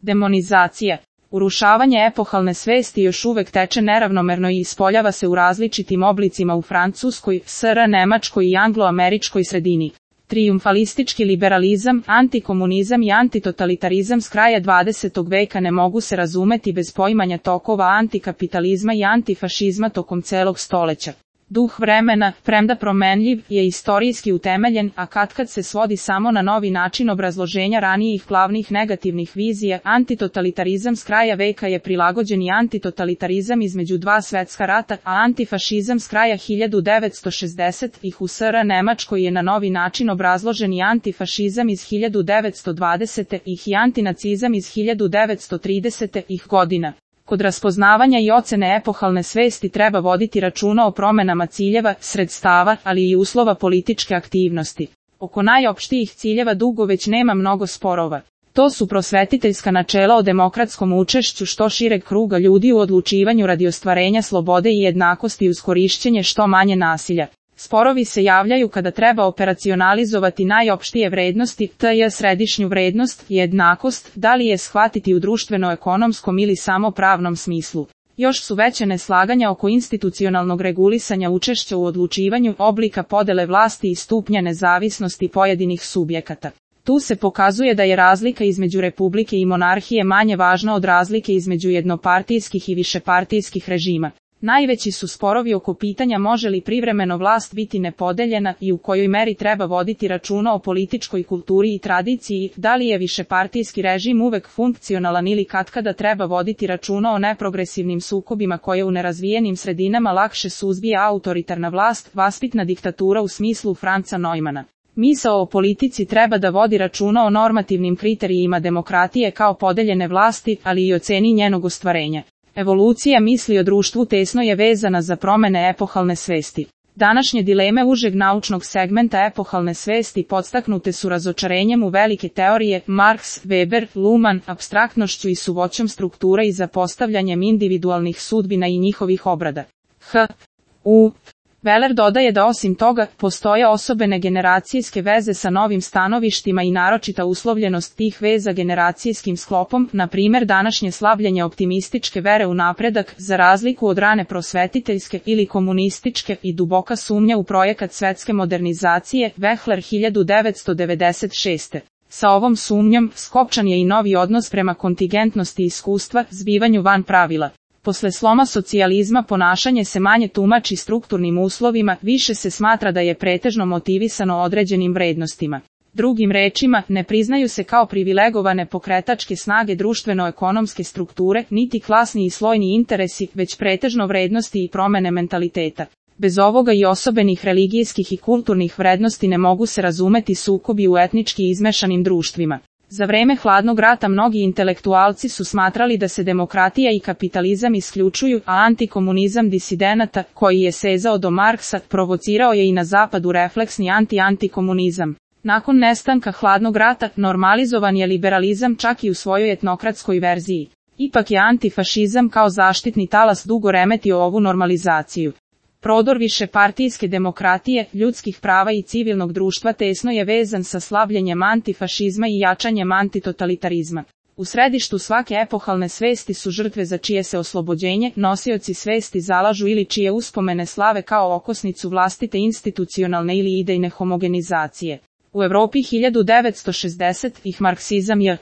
Demonizacija. Urušavanje epohalne svesti još uvek teče neravnomerno i ispoljava se u različitim oblicima u Francuskoj, SR, Nemačkoj i anglo-američkoj sredini. Trijumfalistički liberalizam, antikomunizam i antitotalitarizam s kraja 20. veka ne mogu se razumeti bez poimanja tokova antikapitalizma i antifašizma tokom celog stoleća. Duh vremena, premda promenljiv, je istorijski utemeljen, a katkad se svodi samo na novi način obrazloženja ranijih glavnih negativnih vizija. Antitotalitarizam s kraja veka je prilagođen i antitotalitarizam između dva svetska rata, a antifašizam s kraja 1960-ih u SR Nemačkoj je na novi način obrazložen i antifašizam iz 1920-ih i antinacizam iz 1930-ih godina. Kod raspoznavanja i ocene epohalne svesti treba voditi računa o promenama ciljeva, sredstava, ali i uslova političke aktivnosti. Oko najopštijih ciljeva dugo već nema mnogo sporova. To su prosvetiteljska načela o demokratskom učešću što šireg kruga ljudi u odlučivanju radi ostvarenja slobode i jednakosti uz korišćenje što manje nasilja. Sporovi se javljaju kada treba operacionalizovati najopštije vrednosti, tj. središnju vrednost, jednakost, da li je shvatiti u društveno-ekonomskom ili samo pravnom smislu. Još su veće neslaganja oko institucionalnog regulisanja učešća u odlučivanju, oblika podele vlasti i stupnja nezavisnosti pojedinih subjekata. Tu se pokazuje da je razlika između republike i monarhije manje važna od razlike između jednopartijskih i višepartijskih režima. Najveći su sporovi oko pitanja može li privremeno vlast biti nepodeljena i u kojoj meri treba voditi računa o političkoj kulturi i tradiciji, da li je višepartijski režim uvek funkcionalan ili katkada treba voditi računa o neprogresivnim sukobima koje u nerazvijenim sredinama lakše suzbija autoritarna vlast, vaspitna diktatura u smislu Franca Neumana. Misao o politici treba da vodi računa o normativnim kriterijima demokratije kao podeljene vlasti, ali i o ceni njenog ostvarenja. Evolucija misli o društvu tesno je vezana za promene epohalne svesti. Današnje dileme užeg naučnog segmenta epohalne svesti podstaknute su razočarenjem u velike teorije, Marx, Weber, Luhmann, apstraktnošću i suvoćom struktura i zapostavljanjem individualnih sudbina i njihovih obrada. Weller dodaje da osim toga, postoje osobene generacijske veze sa novim stanovištima i naročita uslovljenost tih veza generacijskim sklopom, na primjer današnje slabljenje optimističke vere u napredak, za razliku od rane prosvetiteljske ili komunističke i duboka sumnja u projekat svetske modernizacije, Wechsler 1996. Sa ovom sumnjom, skopčan je i novi odnos prema kontingentnosti iskustva, zbivanju van pravila. Posle sloma socijalizma ponašanje se manje tumači strukturnim uslovima, više se smatra da je pretežno motivisano određenim vrednostima. Drugim rečima, ne priznaju se kao privilegovane pokretačke snage društveno-ekonomske strukture, niti klasni i slojni interesi, već pretežno vrednosti i promene mentaliteta. Bez ovoga i osobenih religijskih i kulturnih vrednosti ne mogu se razumeti sukobi u etnički izmešanim društvima. Za vreme hladnog rata mnogi intelektualci su smatrali da se demokratija i kapitalizam isključuju, a antikomunizam disidenata, koji je sezao do Marksa, provocirao je i na zapadu refleksni antikomunizam. Nakon nestanka hladnog rata, normalizovan je liberalizam čak i u svojoj etnokratskoj verziji. Ipak je antifašizam kao zaštitni talas dugo remetio ovu normalizaciju. Prodor višepartijske demokratije, ljudskih prava i civilnog društva tesno je vezan sa slabljenjem antifašizma i jačanjem antitotalitarizma. U središtu svake epohalne svesti su žrtve za čije se oslobođenje nosioci svesti zalažu ili čije uspomene slave kao okosnicu vlastite institucionalne ili idejne homogenizacije. U Evropi 1960-ih marksizam je